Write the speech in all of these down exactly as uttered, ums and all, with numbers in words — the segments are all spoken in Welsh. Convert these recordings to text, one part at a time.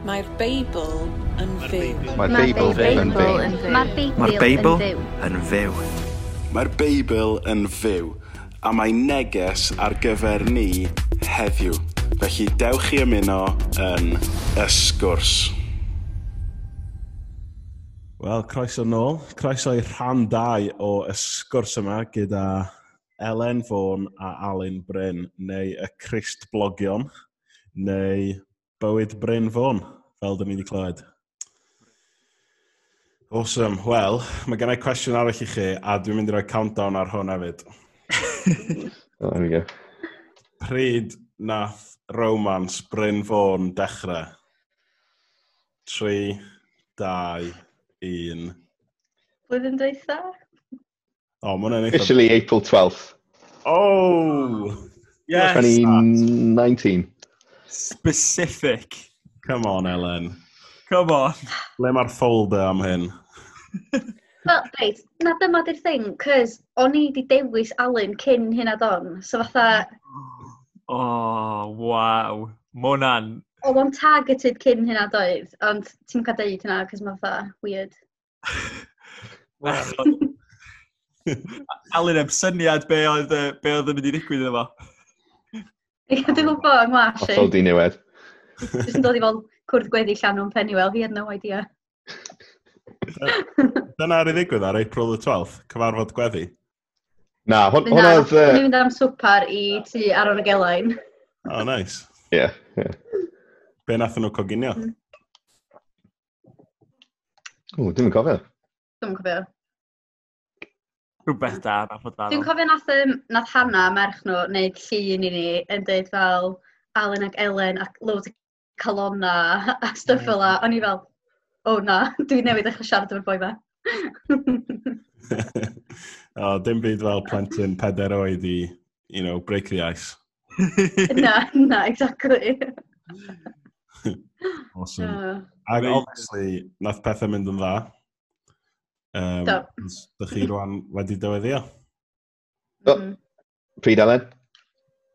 Mae'r Beibl yn fyw. Mae'r Beibl yn fyw. Mae'r Beibl Mae'r Beibl yn fyw. yn fyw. Mae'r Beibl yn fyw, a mae neges ar gyfer ni heddiw. Felly dewch i ymuno yn y sgwrs. Wel, croeso nôl. Croeso i rhan dau o y sgwrs yma gyda Elen Fôn a Alun Bryn, neu y Crist Blogion, neu Bywyd Bryn Fôn, fel dyn ni wedi clywed. Awesome. Wel, mae gen i cwestiwn arall i chi, a dwi'n mynd i roi countdown ar hwn hefyd. Oh, there we go. Pryd nath romance Bryn Fôn dechrau? Tri, dau, un. Blwyddyn dwytha? O, mae hwnna'n eitha. Officially April twelfth, Oh! Yes. twenty nineteen. Specific. Come on, Elen. Come on. Ble mae'r folder am hyn? Wel, reit, na dyma di'r thing, cys o'n i di dewis Alun cyn hynna don. So fatha, Oh, waw. Ma hwnna'n oedd o'n targeted cyn hynna doedd, ond ti'n cael deud hynna, cys mae fatha weird. Bechod. Alun heb syniad be oedd, yy, be oedd yn mynd i ddigwydd efo. Dwi'n gwybod yng ngwash i. Hollol diniwed. Jyst yn dod i fel cwrdd gweddi Llanw'n Penuel, he had no idea. Dyna ar ei ddigwydd ar April the twelfth, cyfarfod gweddi. Na, hwn, Na, hwnna oedd o'n yy, i'n mynd am swpar i tŷ Aron y Gelain. Oh, nice. Ie, ie. Be nath nhw coginio? Mm. O, dwi'n cofio. Dwi'n cofio. Rhywbeth da, nath o da. Dwi'n cofio nath, um, nath Hannah, merch nhw, wneud llun i ni yn dweud fel Alun ac Elen ac loads o calona a stwff fel 'a. O'n i fel, "Oh na, dwi newydd ddechrau siarad efo'r boi 'ma." Oh, dim byd fel plentyn pedair oed i, you know, break the ice. Na, na, exactly. Awesome. Uh, Ac Amazing. obviously, nath pethau mynd yn dda. Um, Do. Dych chi rwan wedi dyweddio. Do. mm. Pryd, Elen?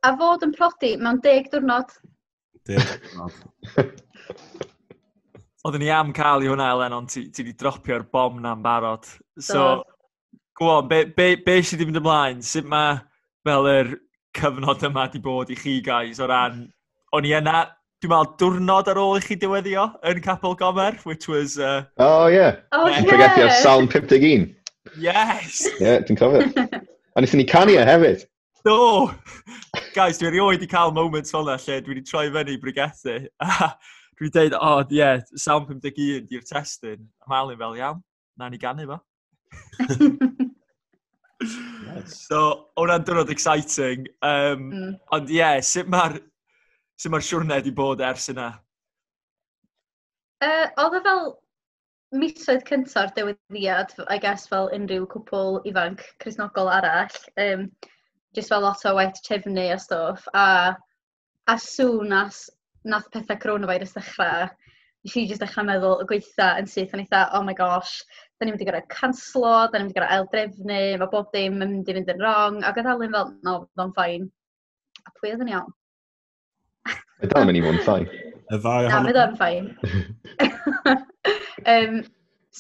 A fod yn prodi mewn deg diwrnod. Deg diwrnod. Oedden ni am cael i hwnna, Elen, ond ti, ti di dropio'r bom na'n barod. So, Do. Go on, be, be, be sydd wedi mynd ymlaen? Sut mae fel yr cyfnod yma di bod i chi guys o ran? O'n i yna, dwi'n meddwl, diwrnod ar ôl i chi dyweddio yn Capel Gomer, which was... Uh, Oh, ie. Oh, Yeah. yeah. Pregethu ar Salm pum deg un. Yes! Ie, yeah, dwi'n cofio. A wnaethon ni canu e hefyd. Do! Guys, dwi erioed wedi cael moments fel yna lle dwi wedi troi fyny i bregethu. A dwi wedi dweud, "Oh, ie, yeah, Salm pum deg un di'r testun." A mae Alun fel, "Iawn, na ni ganu fo." Nice. So, hwnna'n diwrnod exciting. Um, Mm. Ond ie, yeah, sut mae'r sut mae'r siwrne wedi bod ers yna? Uh, oedd o fel misoedd cynta'r dyweddiad, I guess, fel unrhyw cwpl ifanc Cristnogol arall. Um, just fel lot o waith trefnu a stwff. A as soon as nath pethau coronavirus ddechrau, nes i just dechrau meddwl y gweitha yn syth, o'n eitha, "Oh my gosh, da ni'n mynd i gorfod canslo, da ni'n mynd i gorfod aildrefnu, mae bob dim yn mynd i fynd yn wrong." Ac oedd Alun fel, "No, fydd o'n fine." A pwy oedd yn iawn? Mae dal yn mynd i fod yn fine. Y ddau Na, ohono. fydd o'n fine. um,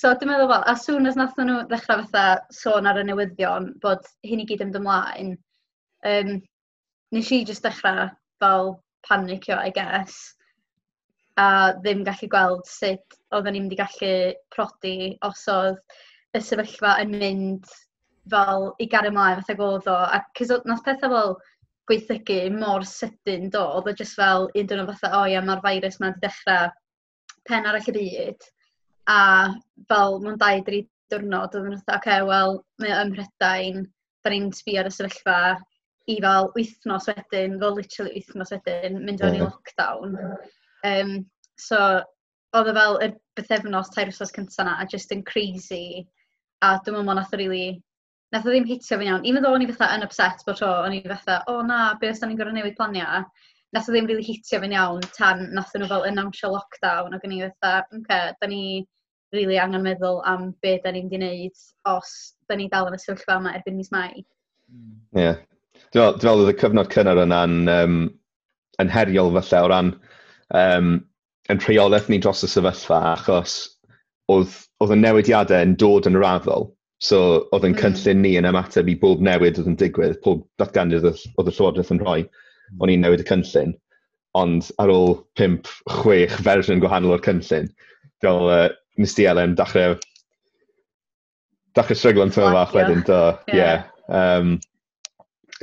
so dwi'n meddwl fel, as soon as nath nhw ddechrau fatha sôn ar y newyddion bod hyn i gyd yn mynd ymlaen, um, nes i just dechrau fel panicio, I guess, a ddim gallu gweld sut oedden ni'n mynd i gallu prodi os oedd y sefyllfa yn mynd fel i gario ymlaen fatha oedd o. A cos oedd- nath pethau fel gwaethygu mor sydyn do, oedd o just fel un diwrnod fatha, "O ia, mae'r virus ma wedi dechrau pen arall y byd." A fel mewn dau, dri diwrnod, oedden nhw fatha, "Oce, okay, wel, mae o ym Mhrydain, da ni'n sbio ar y sefyllfa," i fel wythnos wedyn, fel literally wythnos wedyn, mynd fewn i Ie. lockdown. Um, so, oedd o fel y bythefnos, tair wythnos cynta na, a just yn crazy. A dwi'n meddwl nath o really, nath o ddim hitio fi'n iawn. Even though o'n i fatha yn upset bod tro, o'n i fatha, "O na, be os da ni'n gorfod newid planiau?" Nath o ddim really hitio fi'n iawn tan nath nhw fel announcio lockdown, ac o'n i fatha, "Oce, okay, da ni really angen meddwl am be da ni'n mynd i wneud os da ni dal yn y sefyllfa yma erbyn mis Mai." Ie. Yeah. Dwi'n meddwl dwi'n meddwl oedd y cyfnod cynnar yna'n um, yn heriol falle o ran um, yn rheolaeth ni dros y sefyllfa, achos oedd, oedd y newidiadau yn dod yn raddol. So oedd yn mm. cynllun ni yn ymateb i bob newid oedd yn digwydd, pob datganiad oedd, oedd y Llywodraeth yn rhoi, o'n i'n newid y cynllun. Ond ar ôl pump, chwech fersiwn gwahanol o'r cynllun, fel uh, nes di, Elen, dechrau, dechrau stryglo'n tyma fach wedyn, do. Ie. Yeah. Um,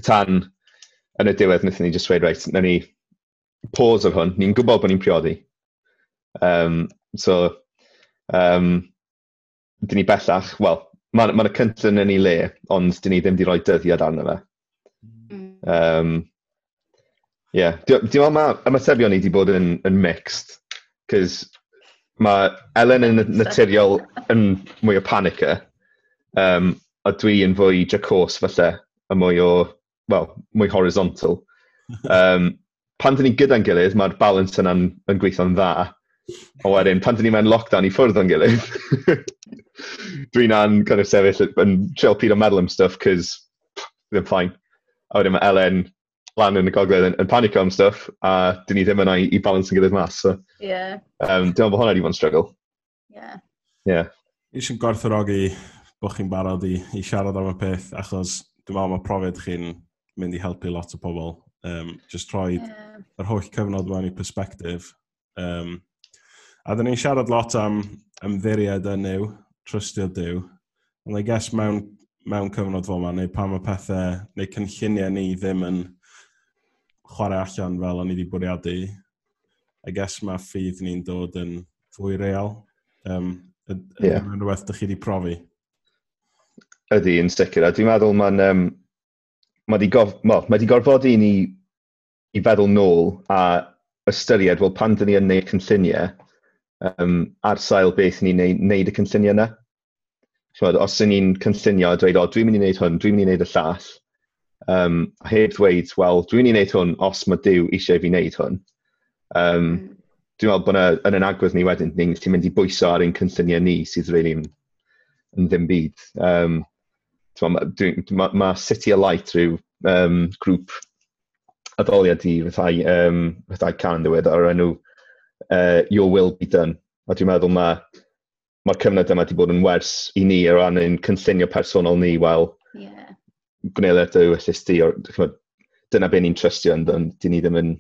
tan yn y diwedd wnaethon ni just dweud, reit, nawn ni pause ar hwn, ni'n gwybod bod ni'n priodi. Um, so, um, dyn ni bellach, wel, mae ma y cynllun yn ei le, ond dyn ni ddim wedi rhoi dyddiad arno fe. Mm. Um, yeah. Dwi'n meddwl mae ymatebion ni wedi bod yn, yn mixed, cos mae Elen yn naturiol yn mwy o panicer, um, a dwi yn fwy jacose falle, a mwy o, well, mwy horizontal. Um, pan dyn ni gyda'n gilydd, mae'r balance yna'n yn gweithio'n dda. A wedyn, pan dyn ni mewn lockdown i ffwrdd o'n gilydd, dwi'n an kind of sefyll yn trio pido meddwl am stuff, cos ddim fine. A wedyn mae Elen lan yn y gogledd yn, yn panico am stuff, a dyn ni ddim yna i, i balance yn gilydd mas. So, yeah. um, dwi'n meddwl bod hwnna wedi bod yn struggle. Yeah. Yeah. Eisiau gwerthfawrogi bod chi'n barod i, i siarad am y peth, achos dwi'n meddwl mae profiad chi'n mynd i helpu lot o pobl. Um, just rhoi yeah. yr holl cyfnod mewn i perspective. Um, a dyn ni'n siarad lot am ymddiried yn Nuw, trystio Duw. Ond I guess mewn, mewn cyfnod fel yma, neu pan mae pethau, neu cynlluniau ni ddim yn chwarae allan fel o'n i wedi bwriadu, I guess mae ffydd ni'n dod yn fwy real. Um, Ydy yeah. rhywbeth ydych chi wedi profi? Ydy, yn sicr. A dwi'n meddwl mae'n um, mae di, gof, well, mae di gorfodi ni i feddwl nôl a ystyried, wel, pan dyn ni yn neud cynlluniau, um, ar sail beth ni'n neud, neud y cynlluniau yna. Ch'mod, os ydyn ni'n cynllunio a dweud, "O, dwi'n mynd i wneud hwn, dwi'n mynd i wneud y llall," um, a heb ddweud, "Wel, dwi'n mynd i wneud hwn os mae Duw eisiau fi wneud hwn." Um, mm. Dwi'n meddwl bod yna, yn yn agwedd ni wedyn, ni'n gallu mynd i bwyso ar ein cynlluniau ni sydd really yn, yn ddim byd. Um, Mae ma, ma City of Light rhyw um, grŵp addoliad i rhyddhau, um, rhyddhau cân ddiwedd o'r enw uh, Your Will Be Done. A dwi'n meddwl mae mae'r cyfnod yma wedi bod yn wers i ni o ran ein cynllunio personol ni, wel, yeah. gwneud dy ewyllys di, or, ch'mod, dyna be ni'n trystio yn, dyn ni ddim yn,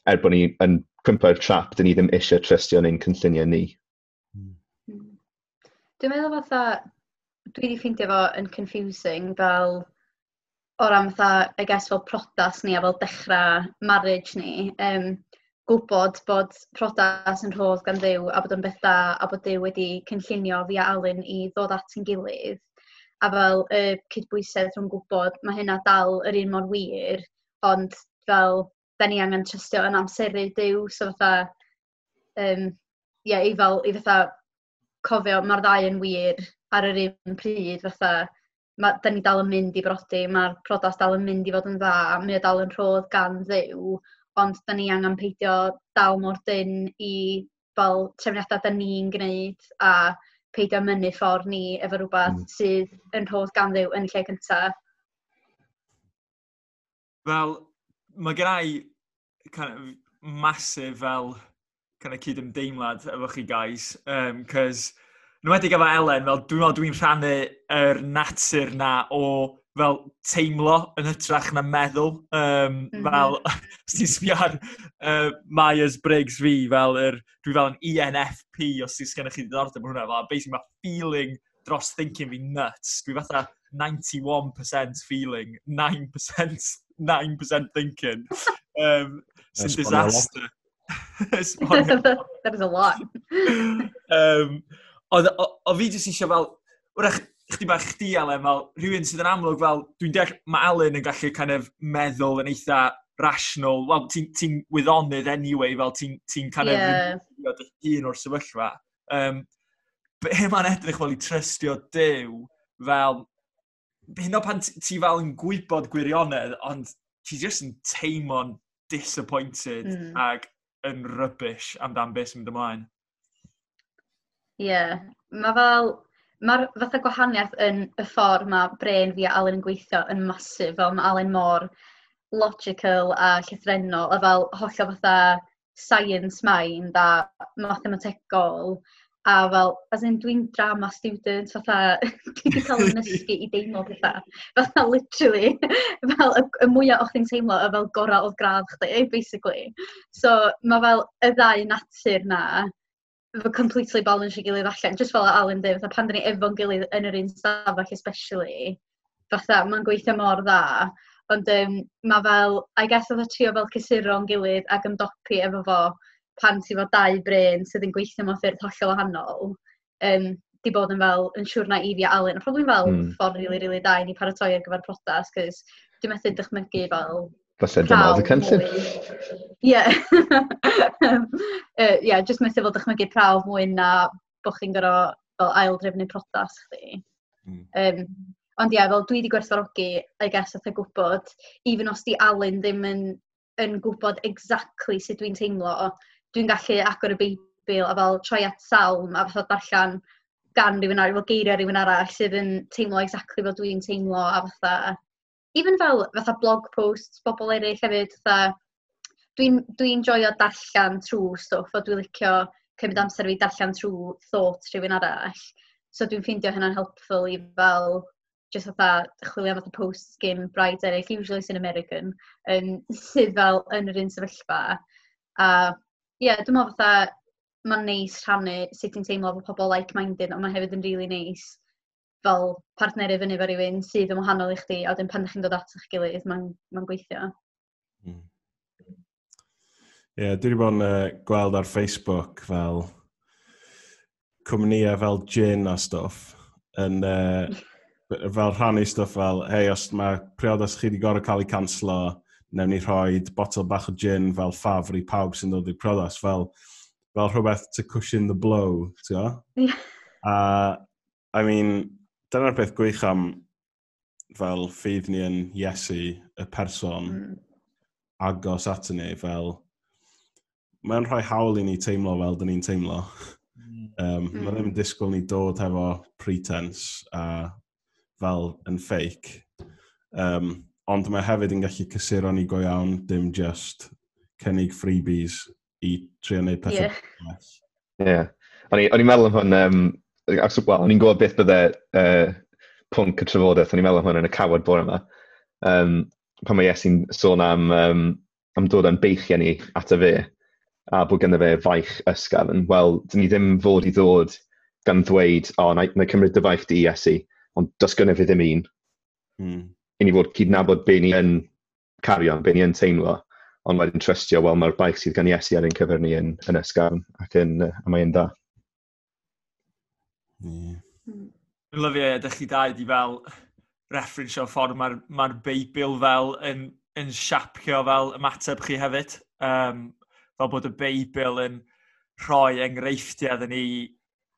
er bod ni yn cwympo i'r trap, dyn ni ddim eisiau trystio yn ein cynlluniau ni. Mm. Dwi'n meddwl fatha, dwi wedi ffeindio fo yn confusing fel o ran fatha, I guess, fel priodas ni a fel dechrau marriage ni. Um, gwybod bod priodas yn rhodd gan Dduw a bod yn beth da a bod Duw wedi cynllunio fi a Alun i ddod at ein gilydd. A fel y cydbwysedd rhwng gwybod mae hynna dal yr un mor wir, ond fel da ni angen trystio yn amseru Duw, so fatha, um, yeah, i fel, i fatha cofio mae'r ddau yn wir ar yr un pryd, fatha, ma, da ni dal yn mynd i brodi, mae'r priodas dal yn mynd i fod yn dda, mae o dal yn rhodd gan Dduw, ond da ni angen peidio dal mor dynn i fel trefniadau da ni'n gwneud a peidio mynnu ffordd ni efo rhywbeth mm. sydd yn rhodd gan Dduw yn y lle cyntaf. Fel, mae gen i kind of massive fel kind of cydymdeimlad efo chi guys, um, cos yn enwedig efo Elen, fel dwi'n meddwl dwi'n rhannu yr natur na o fel teimlo yn hytrach na meddwl. Um, mm -hmm. Fel, os ti'n sbio ar uh, Myers-Briggs fi, fel yr, dwi fel yn E N F P, os ti'n sgennych chi ddiddordeb yn hwnna, fel basically mae feeling dros thinking fi nuts. Dwi fatha ninety-one percent feeling, nine percent, nine percent thinking. Um, sy'n Esbonio lot. Disaster. Esbonio. That is a lot. um, oedd, o, o fi jyst eisiau fel, wrach, chdi bach chdi, Elen, fel rhywun sydd yn amlwg fel, dwi'n deall mae Alun yn gallu kind of meddwl yn eitha rational, wel, ti'n ti wyddonydd anyway, fel ti'n ti kind of Ie. yeah. dy hun o'r sefyllfa. Um, be mae'n edrych fel i trystio Duw, fel, hyn o pan ti ti fel yn gwybod gwirionedd, ond ti jyst yn teimlo'n disappointed Mm. ag yn rubbish amdan beth sy'n mynd ymlaen. Ie, yeah. Mae fel, mae'r fatha gwahaniaeth yn y ffordd mae brain fi a Alun yn gweithio yn massive, fel mae Alun mor logical a llythrennol, a fel hollol fatha science mind a mathemategol, a fel, as in, dwi'n drama student, fatha, dwi wedi cael yn nysgu i deimlo pethau. Fatha, literally, fel, y, y mwyaf o'ch chi'n teimlo, y fel gorau oedd gradd chdi, basically. So, mae fel y ddau natur na, fo completely balance i gilydd allan. Just fel Alun dweud, fatha pan dyn ni efo'n gilydd yn yr un stafell especially, fatha, mae'n gweithio mor dda. Ond um, mae fel, I guess oedd trio fel cysuro'n gilydd ac ymdopi efo fo pan ti fo dau brên sydd yn gweithio mewn ffyrdd hollol wahanol, um, di bod yn fel yn siwrna i fi a Alun. A probably fel mm. ffordd really, really da i ni paratoi ar gyfer priodas, cos dwi'n methu dychmygu fel Falle dyma oedd y cynllun. Ie. Ie, just methu fel dychmygu prawf mwy na bod chi'n gorfod fel ail drefnu priodas chdi. Mm. Um, ond ie, yeah, fel dwi wedi gwerthfawrogi, I guess, fatha gwybod, even os di Alun ddim yn, yn gwybod exactly sut dwi'n teimlo, dwi'n gallu agor y Beibl a fel troi at salm a fatha darllen gan rhywun arall, fel geiriau rhywun arall sydd yn teimlo exactly fel dwi'n teimlo a fatha, even fel fatha blog posts bobl eraill hefyd, fatha, dwi'n dwi joio darllen trwy stwff, a dwi'n licio cymryd amser fi darllen trwy thoughts rhywun arall. So dwi'n ffeindio hynna'n helpful i fel just fatha chwilio am fatha posts gyn brides eraill, usually sy'n American, um, sydd fel yn yr un sefyllfa. A ie, yeah, dwi'n meddwl fatha mae'n neis rhannu sut ti'n teimlo efo pobl like-minded, ond mae hefyd yn really neis fel partneru fyny efo rhywun sydd yn wahanol i chdi, a wedyn pan ydych chi'n dod at eich gilydd, mae'n ma gweithio. Ie, mm. Yeah, dwi wedi bod yn uh, gweld ar Facebook fel cwmnïau fel gin a stwff yn uh, fel rhannu stwff fel, "Hei, os mae priodas chi wedi gorfod cael ei canslo, newn ni rhoi botel bach o gin fel ffafr i pawb sy'n dod i'r priodas," fel, fel rhywbeth to cushion the blow, ti'n gwybod? Yeah. A, I mean, dyna'r peth gwych am fel ffydd ni yn Iesu, y person mm. agos at ni, fel mae'n rhoi hawl i ni teimlo fel dyn ni'n teimlo. Mm. Um, mm. Mae ddim yn disgwyl ni dod hefo pretense a fel yn fake. Um, ond mae hefyd yn gallu cysuro ni go iawn, dim just cynnig freebies i trio wneud pethau. Ie. Yeah. O'n i'n meddwl am hwn, um, well, o'n i'n gwybod beth bydde uh, pwnc y trafodaeth, o'n i'n meddwl am hwn yn y cawod bore yma. Um, pan mae Iesu'n sôn am, um, am dod â'n beichiau ni ato fe, a bod ganddo fe faich ysgafn, wel, dyn ni ddim fod i ddod gan ddweud, "O, oh, na, na cymryd dy faich di, Iesu, ond does gynnu fi ddim un." Mm. I ni fod cydnabod be ni yn cario, be ni yn teimlo, ond wedyn trystio, wel, mae'r baich sydd gan Iesu ar ein cyfer ni yn, yn ysgafn ac yn, a mae'n dda. Yeah. Dwi'n lyfio, ydych chi dau di fel referensio ffordd mae'r ma Beibl fel yn, yn siapio fel ymateb chi hefyd. Um, fel bod y Beibl yn rhoi enghreifftiau iddyn ni,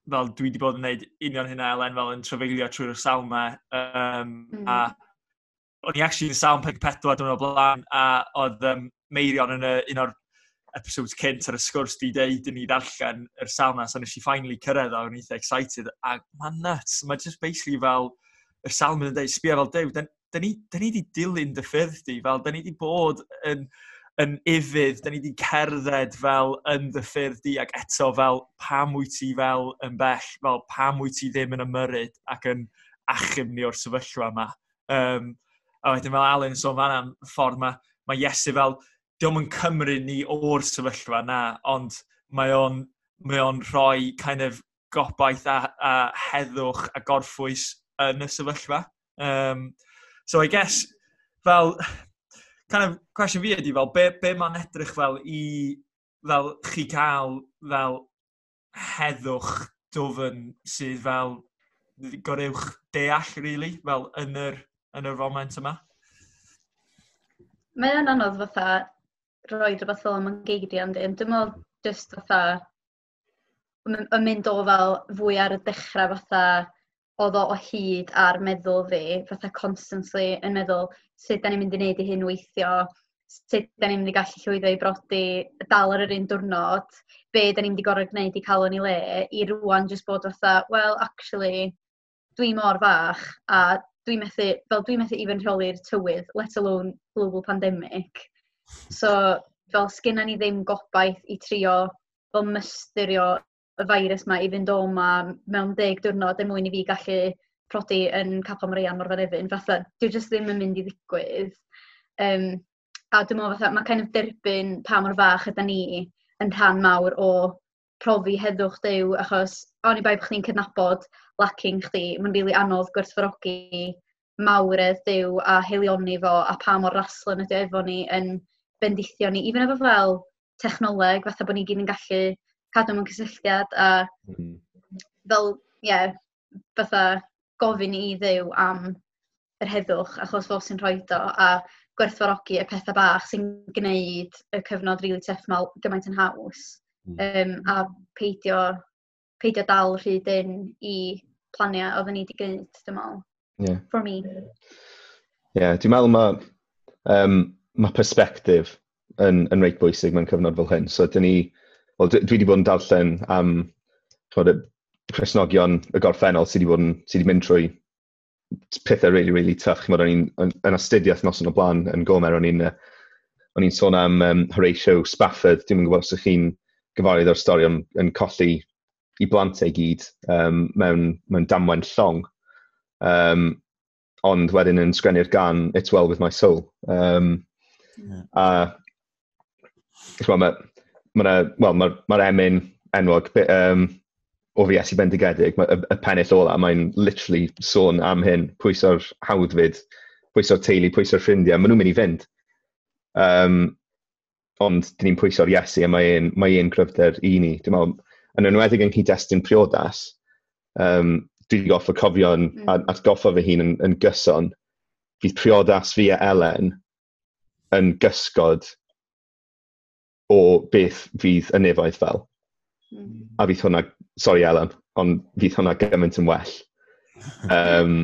fel dwi wedi bod yn gwneud union hynna, Elen, fel yn trafeilio trwy'r salmau. Um, mm. A o'n i actually yn Salm pedwar dwi'n o blaen, a oedd um, Meirion yn y, un o'r episodes cynt ar y sgwrs di deud i ni ddarllen yr salm na, so nes i finally cyrraedd o, o'n eitha excited, a mae'n nuts, mae just basically fel, y salm yn dweud, sbio fel Duw, da, da ni, da ni di dilyn dy ffyrdd di, fel, da ni di bod yn, yn ufudd, da ni di cerdded fel yn dy ffyrdd di, ac eto fel pam wyt ti fel yn bell, fel pam wyt ti ddim yn ymyrryd ac yn achub ni o'r sefyllfa yma? Um, a wedyn fel Alun sôn fan am ffordd mae, mae Iesu fel, diolch yn cymryd ni o'r sefyllfa na, ond mae o'n, mae o'n rhoi kind of gobaith a, a heddwch a gorffwys yn y sefyllfa. Um, so I guess, fel, kind of cwestiwn fi ydy fel, be, be mae'n edrych fel i fel chi cael fel heddwch dwfn sydd fel goruwch deall, really, fel yn yr, yn yr foment yma? Mae o'n anodd fatha rhoi rhywbeth fel yma'n geiriau, yndi. Dwi'n meddwl just fatha yn mynd o fel fwy ar y dechrau, fatha oedd o o hyd ar meddwl fi, fatha constantly yn meddwl sut da ni'n mynd i wneud i hyn weithio, sut da ni'n mynd i gallu llwyddo i brodi dal ar yr un diwrnod, be da ni'n mynd i gorfod gwneud i cael o'n i le, i rwan just bod fatha, well, actually, dwi mor fach a dwi'n methu, fel dwi'n methu even rheoli'r tywydd, let alone global pandemic. So, Fel sgynna ni ddim gobaith i trio fel mystyrio y virus ma i fynd o ma mewn deg diwrnod er mwyn i fi gallu prodi yn Capel Maria Morfa Nefyn. Fatha, dwi jyst ddim yn mynd i ddigwydd. Um, a dwi'n meddwl fatha, mae kind of derbyn pa mor fach yda ni yn rhan mawr o profi heddwch Duw, achos oni bai bod chdi'n cydnabod lacking chdi, mae'n rili really anodd gwerthfawrogi mawredd Duw a haelioni fo a pa mor raslon ydy o efo ni yn bendithio ni, even efo fel technoleg, fatha bod ni gyd yn gallu cadw mewn cysylltiad a mm. fel, ie, yeah, fatha gofyn i Dduw am yr heddwch achos fo sy'n rhoi o a gwerthfawrogi y pethau bach sy'n gwneud y cyfnod rili really tough 'ma gymaint yn haws. Mm. Um, a peidio, peidio dal rhy dyn i planiau oedden ni wedi gwneud, dwi'n meddwl. Yeah. For me. Yeah, dwi'n meddwl mae um, ma perspective yn, yn reit bwysig mewn cyfnod fel hyn. So, dyn ni, well, dwi wedi bod yn darllen am, ch'mod, y Cristnogion y gorffennol sydd wedi bod yn, sydd wedi mynd trwy pethau really, really tough. Ch'mod, o'n i'n yn, yn astudiaeth noson o blaen yn Gomer, o'n i'n o'n i'n sôn am um, Horatio Spafford. Dwi'n gwybod os ydych chi'n gyfarwydd o'r stori am yn colli i blant ei gyd um, mewn, mewn damwain llong. Um, ond wedyn yn sgwennu'r gân "It's Well With My Soul". Um, yeah. A mae ma, well, mae'r ma emyn enwog um, "O fi Iesu Bendigedig", ma, y, y pennill ola, mae'n literally sôn am hyn, pwyso'r hawddfyd, pwyso'r teulu, pwyso'r ffrindiau, maen nhw'n mynd i fynd. Um, ond dyn ni'n pwyso'r Iesu a mae e'n mae e'n cryfder i ni. Dwi'n meddwl, yn enwedig yn cyd-destun priodas, um, dwi wedi gorfod cofio yn, mm. atgoffa fy hun yn, yn gyson, fydd priodas fi a Elen yn gysgod o beth fydd y nefoedd fel. Mm. A fydd hwnna, sorry Elen, ond fydd hwnna gymaint yn well. Um,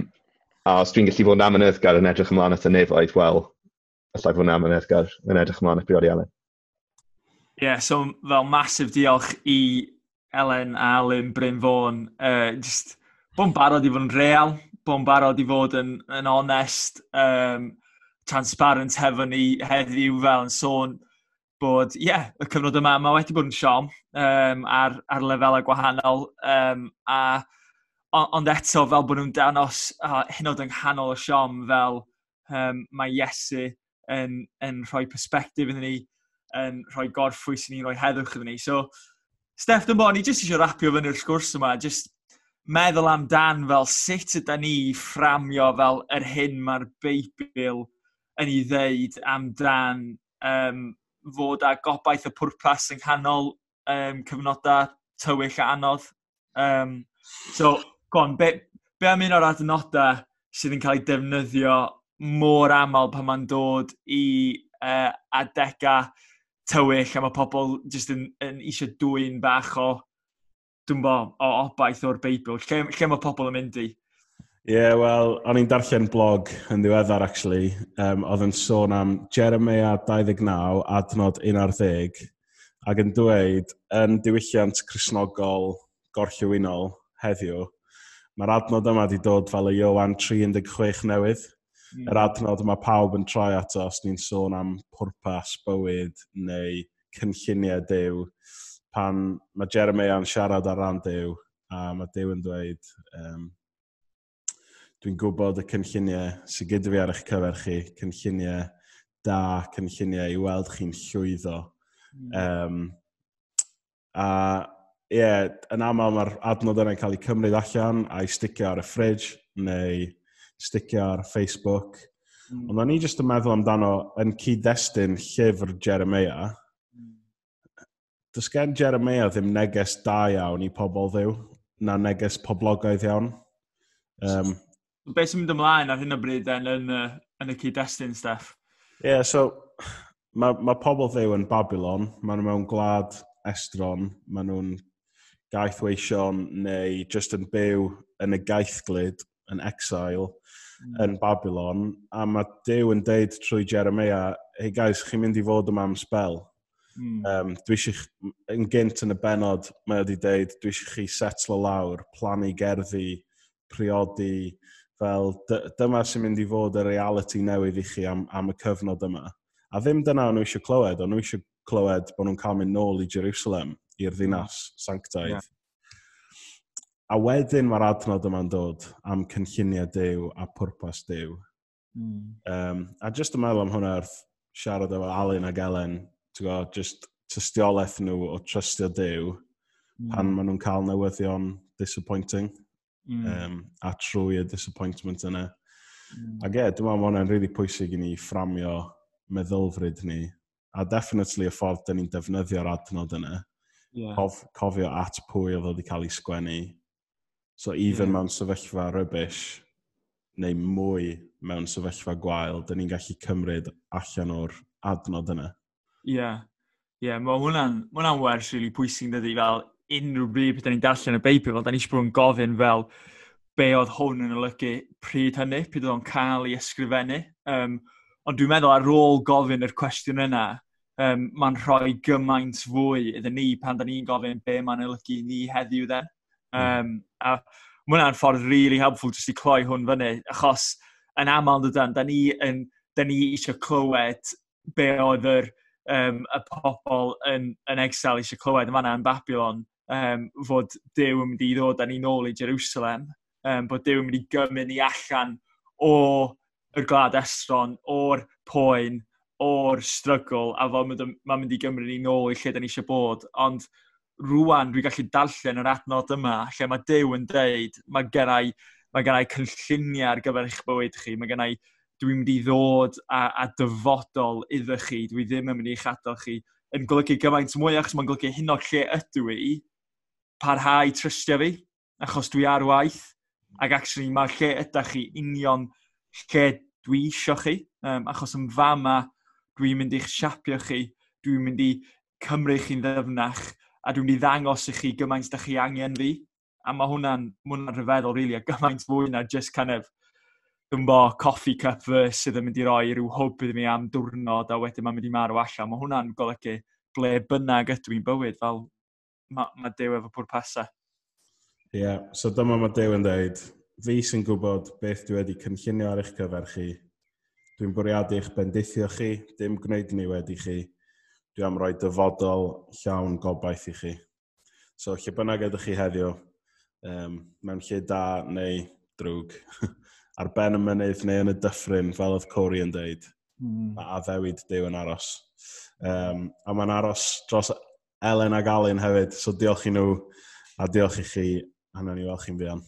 a os dwi'n gallu fod yn amyneddgar yn edrych ymlaen at y nefoedd, wel, allai fod yn amyneddgar yn edrych ymlaen at briodi Elen. Ie, yeah, so fel massive diolch i Elen a Alun Bryn Fôn. Uh, just bod yn barod i fod yn real, bod yn barod i fod yn, yn onest, um, transparent hefo ni heddiw fel yn sôn bod, ie, yeah, y cyfnod yma, mae wedi bod yn siom um, ar, ar lefelau gwahanol, um, a, ond eto fel bod nhw'n danos uh, hyn oed yng nghanol y siom fel um, mae Iesu yn, yn rhoi perspective iddyn ni, yn rhoi gorffwys i ni, rhoi heddwch iddyn ni. So, Steph, dwi'n bod, ni jyst eisiau rapio fyny'r sgwrs yma, jyst meddwl amdan fel sut yda ni fframio fel yr hyn mae'r Beibl yn ei ddeud amdan um, fod â gobaith y pwrpas yng nghanol um, cyfnodau tywyll a anodd. Um, so, go on, be, be am un o'r adnodau sydd yn cael ei defnyddio mor aml pan mae'n dod i uh, adegau tywyll a mae pobl jyst yn, yn eisiau dwyn bach o, dwi'n bo, o obaith o'r Beibl? Lle, lle mae pobl yn mynd i? Ie, yeah, wel, o'n i'n darllen blog yn ddiweddar, actually. Um, oedd yn sôn am Jeremiah dau ddeg naw, adnod un ar ddeg, ac yn dweud, yn diwylliant Cristnogol gorllewinol heddiw, mae'r adnod yma wedi dod fel y Ioan tri un chwech newydd. Mm. Yr adnod yma pawb yn troi ato os ni'n sôn am pwrpas bywyd neu cynlluniau Duw. Pan mae Jeremiah yn siarad ar ran Duw, a mae Duw yn dweud, um, "Dwi'n gwybod y cynlluniau sydd gyda fi ar eich cyfer chi, cynlluniau da, cynlluniau i weld chi'n llwyddo." Mm. Um, a ie, yeah, yn aml mae'r adnod yna'n cael ei cymryd allan a'i sticio ar y fridge neu sticio ar Facebook. Mm. Ond o'n i jyst yn meddwl amdano yn cyd-destun llyfr Jeremiah. Mm. Does gen Jeremiah ddim neges da iawn i pobl Dduw, na neges poblogaidd iawn. Um, Be sy'n mynd ymlaen ar hyn o bryd then yn, yn, yn y cyd-destun, Steph? Ie, yeah, so mae ma pobl Dduw yn Babylon, maen nhw mewn gwlad estron, maen nhw'n gaethweision neu just yn byw yn y gaethglud, yn exile, mm. yn Babylon, a mae Duw yn deud trwy Jeremiah, "Hey guys, chi'n mynd i fod yma am spel." Mm. Um, dwi eisiau, yn gynt yn y benod, mae wedi deud, "Dwi eisiau chi setlo lawr, plannu gerddi, priodi, fel dyma sy'n mynd i fod y reality newydd i chi am, am y cyfnod yma." A ddim dyna o'n nhw eisiau clywed, o'n nhw eisiau clywed bod nhw'n cael mynd nôl i Jerusalem, i'r ddinas sanctaidd. Yeah. A wedyn mae'r adnod yma'n dod am cynlluniau Duw a pwrpas Duw. Mm. Um, a just yn meddwl am hwnna wrth siarad efo Alun ag Elen, ti'n gwybod, just tystiolaeth nhw o trystio Duw mm. pan maen nhw'n cael newyddion disappointing mm. um, a trwy y disappointment yna. Mm. Ac ie, dwi'n meddwl mae hwnna'n really pwysig i ni fframio meddylfryd ni a definitely y ffordd dyn ni'n defnyddio'r adnod yna. Yeah. Cof, cofio at pwy oedd wedi cael ei sgwennu. So even yeah. mewn sefyllfa rubbish, neu mwy mewn sefyllfa gwael, dyn ni'n gallu cymryd allan o'r adnod yna. Ie, yeah. Ie, yeah, mae hwnna'n ma hwnna wers really pwysig dydy, fel unrhyw bryd beth ni'n darllen y Beibl, fel da ni eisiau bod yn gofyn fel be oedd hwn yn olygu pryd hynny, pryd oedd o'n cael ei ysgrifennu. Um, ond dwi'n meddwl ar ôl gofyn yr cwestiwn yna, um, mae'n rhoi gymaint fwy iddyn ni pan da ni'n gofyn be mae'n olygu ni heddiw then. Um, a mae hwnna'n ffordd really helpful jyst i cloi hwn fyny, achos yn aml dydan, da ni, yn, da ni eisiau clywed be oedd yr, um, y pobl yn, yn exile eisiau clywed yn fanna yn Babylon, um, fod Duw yn mynd i ddod â ni nôl i Jerusalem, um, bod Duw yn mynd i gymryd ni allan o yr gwlad estron, o'r poen, o'r struggle, a fod mae'n mynd i gymryd ni nôl i lle da ni eisiau bod. Ond rwan dwi'n gallu darllen yr adnod yma, lle mae Duw yn deud, mae gennai, mae gennai cynlluniau ar gyfer eich bywyd chi, mae gennai, dwi'n mynd i ddod a, a dyfodol iddo chi, dwi ddim yn mynd i'ch adael chi, yn golygu gymaint mwy, achos mae'n golygu hyn o'r lle ydw i, parhau trystio fi, achos dwi ar waith, ac actually mae lle ydych chi union lle dwi isio chi, um, achos yn fama dwi'n mynd i'ch siapio chi, dwi'n mynd i cymryd chi'n ddyfnach, a dwi'n mynd i ddangos i chi gymaint da chi angen fi. A mae hwnna'n ma hwnna rhyfeddol, really, a gymaint fwy na just kind of, dwi'n bo, coffee cup verse sydd yn mynd i roi rhyw hwb iddi mi am diwrnod a wedyn mae'n mynd i marw allan. Mae hwnna'n golygu ble bynnag ydw i'n bywyd, fel mae ma Duw efo pwrpasau. Ie, yeah, so dyma mae Duw yn dweud, fi sy'n gwybod beth dwi wedi cynllunio ar eich cyfer chi. Dwi'n bwriadu eich bendithio chi, dim gwneud niwed i chi. Dwi am roi dyfodol llawn gobaith i chi. So, lle bynnag ydych chi heddiw, um, mewn lle da neu drwg, ar ben y mynydd neu yn y dyffryn, fel oedd Corey yn dweud, mm. mae addewid Duw yn aros. Um, a mae'n aros dros Elen ag Alun hefyd, so diolch i nhw a diolch i chi, a nawn ni weld chi'n fuan.